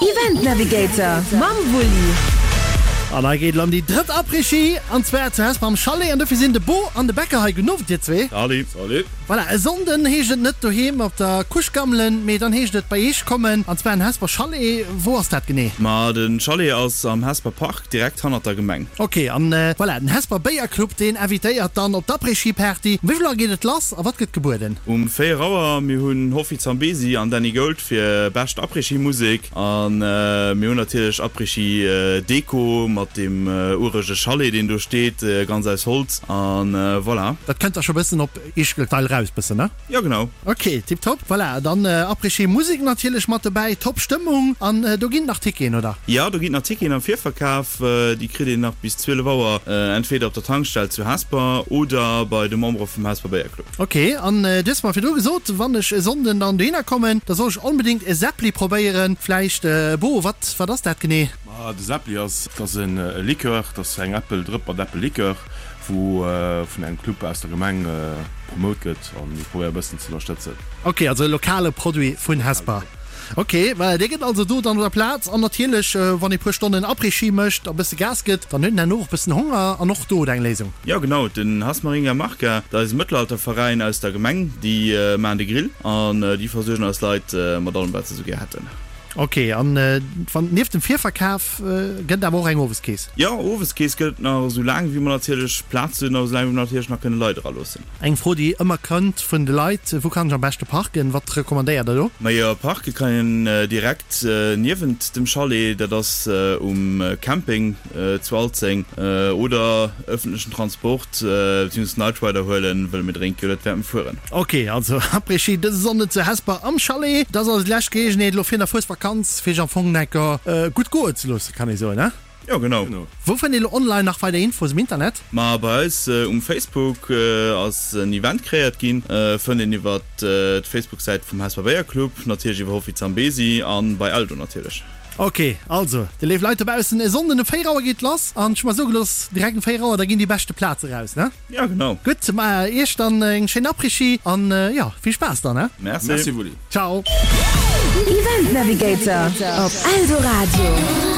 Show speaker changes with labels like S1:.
S1: Event Navigator mam Wulli.
S2: An hei geet et elo ëm déi drëtt Après-Ski, an zwar zu Hesper am Chalet. An dofir sinn de Bo an de Becker hei. Gudden Owend, dir zwee.
S3: Salut. Salut.
S2: Voilà, e Sonnden heescht et net doheem op der Couche gammelen, mee dann heescht et bei iech kommen, an zwar an Hesper Chalet. Wou ass dat genee?
S3: Ma de Chalet ass am Hesper Park, direkt hannert der Gemeng.
S2: Ok, an voilà, den Hesper Béierclub, deen invitéiert dann op d'Après-Ski-Party. Um wéi vill Auer geet et lass a wat gëtt gebueden?
S3: Um 4 Auer. Mir hunn Hoffi Zambezi an Danny Gold fir bescht Après-Ski-Musek. A mir hunn natierlech Après-Ski Deko mat deem urege Chalet, deen do steet, ganz aus Holz. A voilà.
S2: Dat kënnt da scho bëssen op Ischgl-Dall raus bëssen, ne?
S3: Jo, genau.
S2: Ok, tiptop. Voilà, dann Après-Ski Musek natierlech mat dobäi, top Stëmmung. An do ginn nach Ticketen, oder?
S3: Jo, do ginn nach Ticketen am Virverkaf. Déi kritt een nach bis 12 Auer, entweder op der Tankstell zu Hesper oder bei de Membere vum Hesper Béierclub.
S2: Ok, an du hues mer virdru gesot, wann ech e Sonnden dann dohinner kommen, da soll ech onbedéngt e Seppli probéieren. Vläicht, Bo, wat, wat ass dat genee?
S4: Ma de Seppli ass, dat ass e Likör, dat ass eng Äppeldrëpp mat Äppellikör, wou vun engem Club aus der Gemeng promout gëtt an mir probéiere e bëssen ze ënnerstëtzen.
S2: Ok, also e lokale Produit vun Hesper. Ok, voilà, dee gëtt also do dann op der Plaz. An natierlech, wann ee puer Stonnen Après-Ski mécht a bësse Gas gëtt, dann huet een herno och bëssen Honger an och do huet eng Léisung.
S3: Jo genau, den Hasmaringa Marca, dat eise Mëttelalterveräin aus der Gemeng, déi maachen de Grill an déi versuergen eis Leit mat allem wat se esou gär hätten.
S2: Ok, an wann nieft dem Virverkaf gëtt et awer och eng Oweskeess?
S3: Jo, Oweskeess gëtt et nach esou laang wéi mer natierlech Plaz hunn a esou laang wéi mer natierlech nach kënne Leit eraloossen.
S2: Eng Fro déi ëmmer kënnt vun de Leit, Wou kann ech am beschte parken? Wat recommandéiert der do?
S3: Majo, parke kann een direkt niewent dem Chalet, dat ass um Camping zu Alzeng, oder ëffentlechen Transport beziehungsweise Night Rider huelen, wëlle mir drénke jo net während dem Fueren.
S2: Ok, also Après-Ski dëse Sonnden zu Hesper am Chalet. Dat ass also déi lescht Geleegenheet elo fir der Fuesvakanz fir sech am Fong enker gutt goe ze loossen, kann ee soen, he?
S3: Jo genau.
S2: Wou fënnt een elo online nach weider Infos um Internet?
S3: Ma bei eis um Facebook ass en Event kreéiert ginn. Fënnt een iwwer d'Facebook Säit vum Hesper Béierclub, natierlech iwwer Hoffi Zambezi an bei Eldo natierlech.
S2: Ok, also déi léif Leit dobaussen, e Sonnden um 4 Auer geet lass an ech hu mer soe gelooss, direkt um 4 Auer, da ginn déi beschte Plaze raus, ne?
S3: Jo genau.
S2: Gutt, ma iech dann eng schéin Après-Ski an jo, vill Spaass dann, he?
S3: Merci.
S4: Merci Wulli.
S2: Ciao.
S1: Event Navigator op Eldoradio.